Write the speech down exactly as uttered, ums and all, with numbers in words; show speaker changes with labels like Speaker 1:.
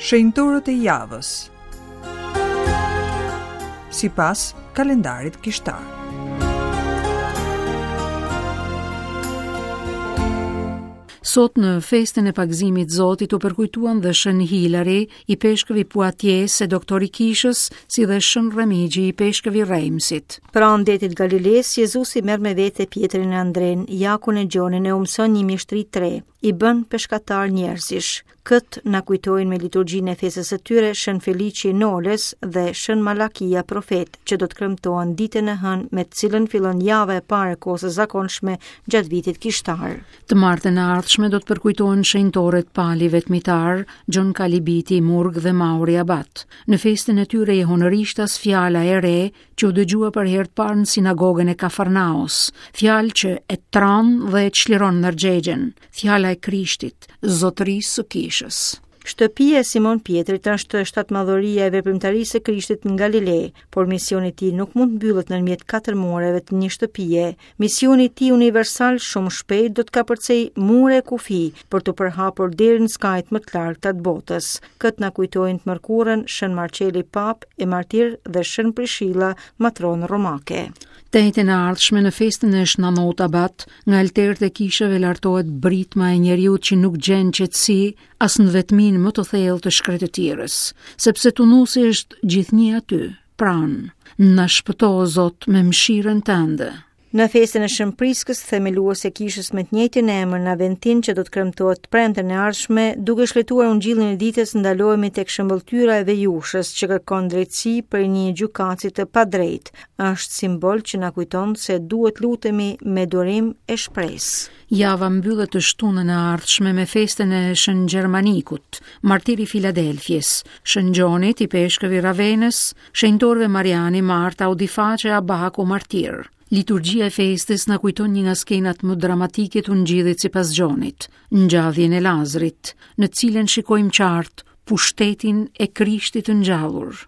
Speaker 1: Shenjtorët e javës sipas kalendarit kishtar.
Speaker 2: Sot në festën e pagëzimit Zotit u përkujtuan dhe Shën Hilari, i peshkëvi Poitiers e doktori Kishës, si dhe Shën Remigji, i peshkëvi Reimsit.
Speaker 3: Pranë detit Galiles, Jezusi merr me vete Pietrin e Andren, Jakun e Gjonin e u mëson një mjeshtri të re, i bën peshkatar njerëzish. Kët na kujtojnë me liturgjinë e festës së tyre Shën Felici Noles dhe Shën Malakia profet, që do të kremtohen ditën e hënë me të cilën fillon java e parë e kohës së zakonshme gjatë vitit kishtar.
Speaker 2: Të martën e ardhshme do të përkujtohen shenjtorët Pali Vetmitar, Gjon Kalibiti, Murg dhe Mauri Abat. Në festën e tyre jehonërishtas fjala e re që u dëgjua për herë të parë në sinagogën e Kafarnaos, fjalë që e tran dhe e çliron ndërgjegjen, fjala e Krishtit, zotërisë së kishës.
Speaker 3: Shtëpia e Simon Pietrit është shtatmadhoria e veprimtarisë së Krishtit në Galile, por misioni i tij nuk mund të mbyllet nëpërmjet katër mureve të një shtëpie. Misioni i tij universal shumë shpejt do të kapërcej mure e kufi për të përhapur deri në skajt më të largëta të botës. Këtë na kujtojnë të mërkurën Shën Marceli Pap e Martir dhe Shën Prishilla, matron romake.
Speaker 2: Të enjten e ardhshme në festën e Shnanot Abat, nga alterët e kishave lartohet britma e njeriut që nuk gjen qetësi as në vetminë më të thellë të shkretëtirës, sepse tunusi është gjithnjë aty, pranë. Na shpëto, o Zot, me mëshirën tënde.
Speaker 3: Në festën e Shën Priskës, themeluese e kishës me të njëjtin emër në Aventin, që do të kremtohet premten e ardhshme, duke shfletuar ungjillin e ditës, ndalohemi tek shëmbëlltyra e vejushës që kërkon drejtësi për një gjykatësi të padrejtë. Është simbol që na kujton se duhet lutemi me durim e shpresë.
Speaker 2: Java mbyllet të shtunën e ardhshme me festën e Shën Gjermanikut, martiri Filadelfies, Shën Gjonit, i peshkëvi Ravenës, shenjtorëve Mariani, Marta, Audiface, Abaku, martir. Liturgjia e festës na kujton një nga skenat më dramatike të ungjillit sipas Gjonit, ngjalljen e Lazrit, në cilën shikojmë qartë pushtetin e Krishtit të ngjallur.